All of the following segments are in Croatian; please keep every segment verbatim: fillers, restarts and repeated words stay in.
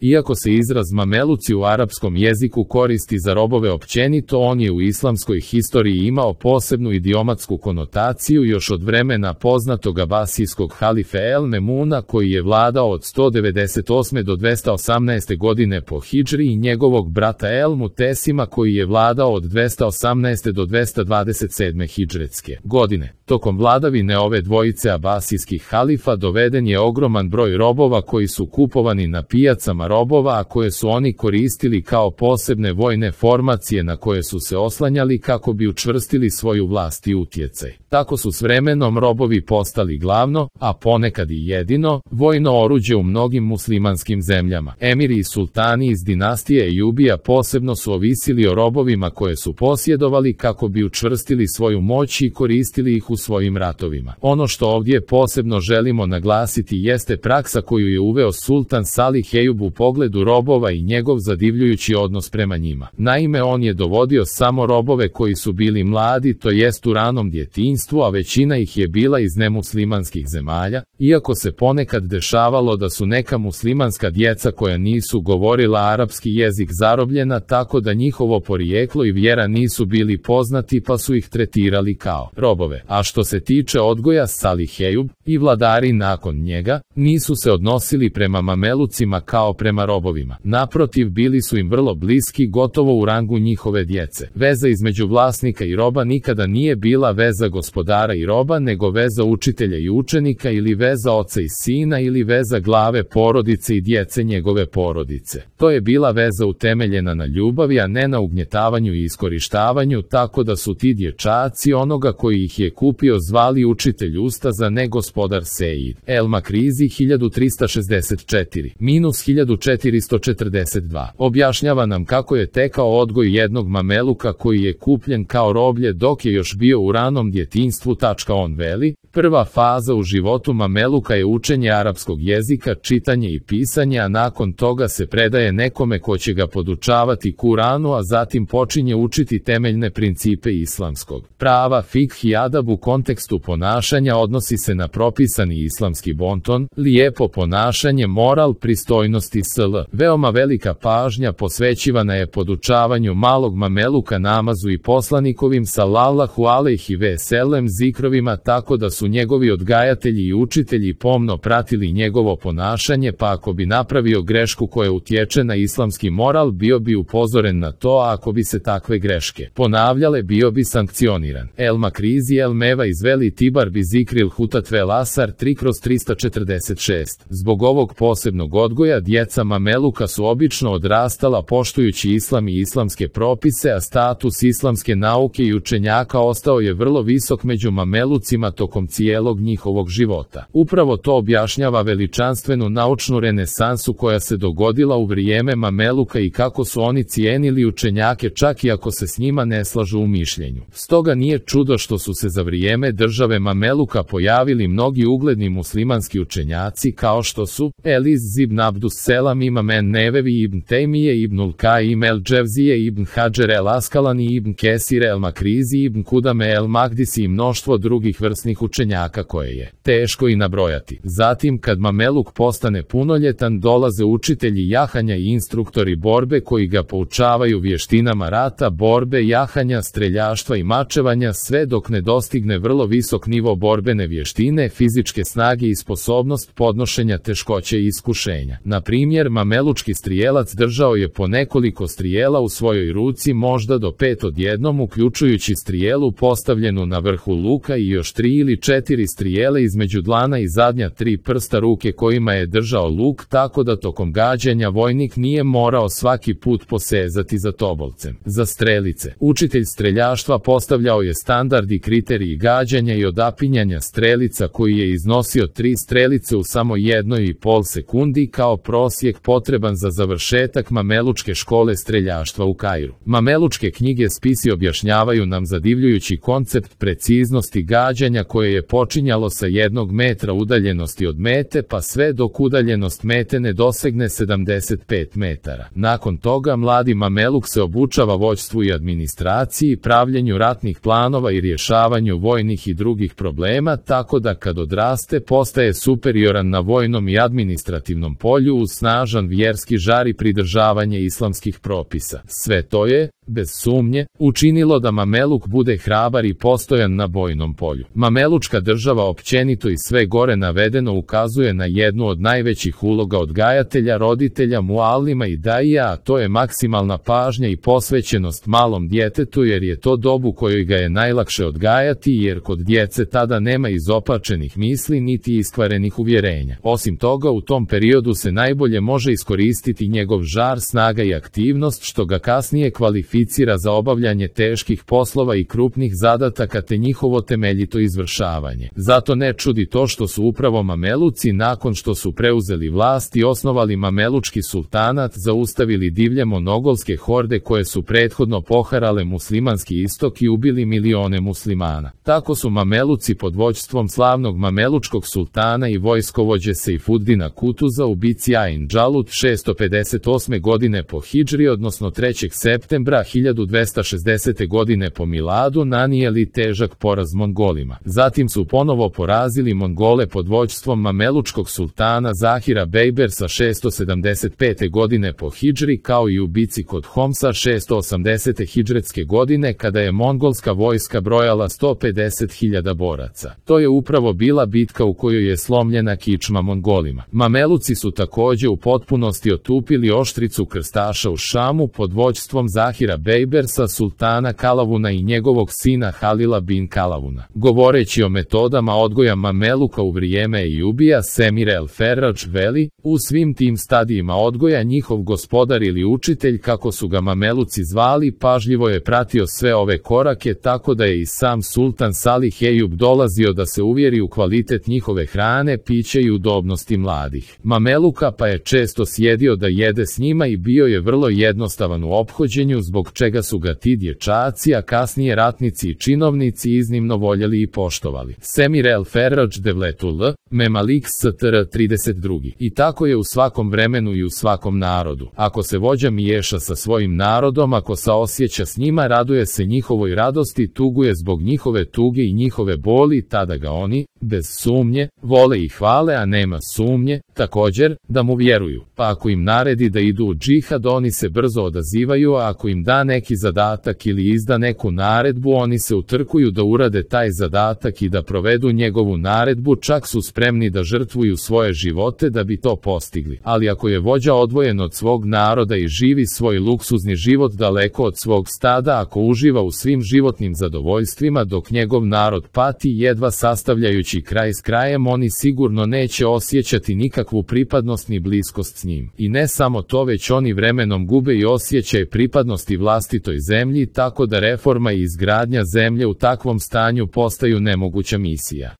Iako se izraz mameluci u arapskom jeziku koristi za robove općenito, on je u islamskoj historiji imao posebnu idiomatsku konotaciju još od vremena poznatog abasijskog halife El Memuna, koji je vladao od sto devedeset osme do dvesta osamnaeste godine po hidžri, i njegovog brata El Mutesima, koji je vladao od dvesta osamnaeste do dvesta dvadeset sedme hidžretske godine. Tokom vladavine ove dvojice abasijskih halifa doveden je ogroman broj robova koji su kupovani na pijacama robova, a koje su oni koristili kao posebne vojne formacije na koje su se oslanjali kako bi učvrstili svoju vlast i utjecaj. Tako su s vremenom robovi postali glavno, a ponekad i jedino, vojno oruđe u mnogim muslimanskim zemljama. Emiri i sultani iz dinastije Ejubija posebno su ovisili o robovima koje su posjedovali kako bi učvrstili svoju moć i koristili ih u svojim ratovima. Ono što ovdje posebno želimo naglasiti jeste praksa koju je uveo sultan Salih Ejub u pogledu robova i njegov zadivljujući odnos prema njima. Naime, on je dovodio samo robove koji su bili mladi, to jest u ranom djetinjstvu, a većina ih je bila iz nemuslimanskih zemalja, iako se ponekad dešavalo da su neka muslimanska djeca koja nisu govorila arapski jezik zarobljena tako da njihovo porijeklo i vjera nisu bili poznati, pa su ih tretirali kao robove. A što se tiče odgoja, Salih Ejub i vladari nakon njega nisu se odnosili prema mamelucima kao prema robovima. Naprotiv, bili su im vrlo bliski, gotovo u rangu njihove djece. Veza između vlasnika i roba nikada nije bila veza gospodara i roba, nego veza učitelja i učenika, ili veza oca i sina, ili veza glave porodice i djece njegove porodice. To je bila veza utemeljena na ljubavi, a ne na ugnjetavanju i iskorištavanju, tako da su ti dječaci onoga koji ih je kupio zvali učitelj ustaza, ne gospodar Sejid. El Makrizi hiljadu trista šezdeset četiri minus hiljadu četiristo četrdeset dva objašnjava nam kako je tekao odgoj jednog mameluka koji je kupljen kao roblje dok je još bio u ranom djetinjstvu. On veli, prva faza u životu mameluka je učenje arapskog jezika, čitanje i pisanje, a nakon toga se predaje nekome ko će ga podučavati Kuranu, a zatim počinje učiti temeljne principe islamskog prava. Fikh i adab u kontekstu ponašanja odnosi se na propisani islamski bonton, lijepo ponašanje, moral, pristojnost i sl. Veoma velika pažnja posvećivana je podučavanju malog mameluka namazu i poslanikovim sallallahu alejhi ve sellem zikrovima, tako da su njegovi odgajatelji i učitelji pomno pratili njegovo ponašanje, pa ako bi napravio grešku koja utječe na islamski moral, bio bi upozoren na to, a ako bi se takve greške ponavljale, bio bi sankcioniran. El Makrizi El Meva izveli Tibar bi zikril hutat vel asar tri kroz trista četrdeset šest. Zbog ovog posebnog odgoja, djeca mameluka su obično odrastala poštujući islam i islamske propise, a status islamske nauke i učenjaka ostao je vrlo visok među mamelucima tokom cijelog njihovog života. Upravo to objašnjava veličanstvenu naučnu renesansu koja se dogodila u vrijeme mameluka i kako su oni cijenili učenjake čak i ako se s njima ne slažu u mišljenju. Stoga nije čudo što su se za vrijeme države mameluka pojavili mnogi ugledni muslimanski učenjaci kao što su Eliz ibn Abdus Selam, Imam en-Nevevi, Ibn Tejmije, Ibnul Kaim el-Dževzije, Ibn Hadžer el-Askalani, Ibn Kesir el-Makrizi, Ibn Kudame el-Magdisi i mnoštvo drugih vrsnih učenjaka koje je teško i nabrojati. Zatim, kad mameluk postane punoljetan, dolaze učitelji jahanja i instruktori borbe koji ga poučavaju vještinama rata, borbe, jahanja, streljaštva i mačevanja, sve dok ne dostigne vrlo visok nivo borbene vještine, fizičke snage i sposobnost podnošenja teškoće i iskušenja. Na primjer, mamelučki strijelac držao je po nekoliko strijela u svojoj ruci, možda do pet odjednom, uključujući strijelu postavljenu na vrhu luka i još tri ili četiri strijele između dlana i zadnja tri prsta ruke kojima je držao luk, tako da tokom gađanja vojnik nije morao svaki put posezati za tobolcem. Za strelice, učitelj streljaštva postavljao je standard i kriteriji gađanja i odapinjanja strelica koji je iznosio tri strelice u samo jednoj i pol sekundi kao prosjek potreban za završetak mamelučke škole streljaštva u Kairu. Mamelučke knjige spisi objašnjavaju nam zadivljujući koncept preciznosti gađanja koje je počinjalo sa jednog metra udaljenosti od mete pa sve dok udaljenost mete ne dosegne sedamdeset pet metara. Nakon toga mladi mameluk se obučava vođstvu i administraciji, pravljenju ratnih planova i rješavanju vojnih i drugih problema, tako da kad odraste postaje superioran na vojnom i administrativnom polju uz snažan vjerski žar i pridržavanje islamskih propisa. Sve to je, bez sumnje, učinilo da Mameluk bude hrabar i postojan na bojnom polju. Mamelučka država općenito i sve gore navedeno ukazuje na jednu od najvećih uloga odgajatelja, roditelja, mualima i daija, a to je maksimalna pažnja i posvećenost malom djetetu, jer je to dob u kojoj ga je najlakše odgajati, jer kod djece tada nema izopačenih misli niti iskvarenih uvjerenja. Osim toga, u tom periodu se najbolje može iskoristiti njegov žar, snaga i aktivnost, što ga kasnije kvalificira za obavljanje teških poslova i krupnih zadataka te njihovo temeljito izvršavanje. Zato ne čudi to što su upravo Mameluci, nakon što su preuzeli vlast i osnovali Mamelučki sultanat, zaustavili divlje monogolske horde koje su prethodno poharale muslimanski istok i ubili milione muslimana. Tako su Mameluci pod vođstvom slavnog Mamelučkog sultana i vojskovođe Sejfuddina Kutuza u bici Ain Džalut šesto pedeset osme godine po hidžri, odnosno trećeg septembra hiljadu dvesta šezdesete godine po miladu, nanijeli težak poraz Mongolima. Zatim su ponovo porazili Mongole pod vođstvom Mamelučkog sultana Zahira Bejbersa šesto sedamdeset pete godine po hidžri, kao i u bici kod Homsa šesto osamdesete hidžretske godine, kada je mongolska vojska brojala sto pedeset hiljada boraca. To je upravo bila bitka u kojoj je slomljena kičma Mongolima. Mameluci su također u potpunosti otupili oštricu krstaša u Šamu pod vođstvom Zahira Bejbersa, sultana Kalavuna i njegovog sina Halila bin Kalavuna. Govoreći o metodama odgoja Mameluka u vrijeme Ejubija, Semir el-Ferrač veli: u svim tim stadijima odgoja njihov gospodar ili učitelj, kako su ga Mameluci zvali, pažljivo je pratio sve ove korake, tako da je i sam sultan Salih Ejub dolazio da se uvjeri u kvalitet njihove hrane, piće i udobnosti mladih Mameluka, pa je često sjedio da jede s njima i bio je vrlo jednostavan u ophođenju, zbog čega su ga ti dječaci, a kasnije ratnici i činovnici iznimno voljeli i poštovali. Semir el-Ferrač Devletul Memalik str. trideset dva. I tako je u svakom vremenu i u svakom narodu. Ako se vođa miješa sa svojim narodom, ako saosjeća s njima, raduje se njihovoj radosti, tuguje zbog njihove tuge i njihove boli, tada ga oni, bez sumnje, vole i hvale, a nema sumnje, također, da mu vjeruju. Pa ako im naredi da idu u džihad, oni se brzo odazivaju, a ako im da neki zadatak ili izda neku naredbu, oni se utrkuju da urade taj zadatak i da provedu njegovu naredbu, čak su spremni da žrtvuju svoje živote da bi to postigli. Ali ako je vođa odvojen od svog naroda i živi svoj luksuzni život daleko od svog stada, ako uživa u svim životnim zadovoljstvima dok njegov narod pati, jedva sastavljajući kraj s krajem, oni sigurno neće osjećati nikakvu pripadnost ni bliskost s njim. I ne samo to, već oni vremenom gube i osjećaj pripadnosti vlastitoj zemlji, tako da reforma i izgradnja zemlje u takvom stanju postaju nemoguća misija.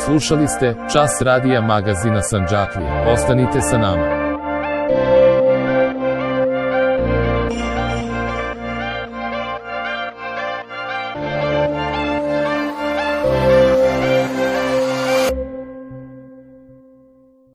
Slušali ste Čas radija magazina Sandžaklija. Ostanite sa nama.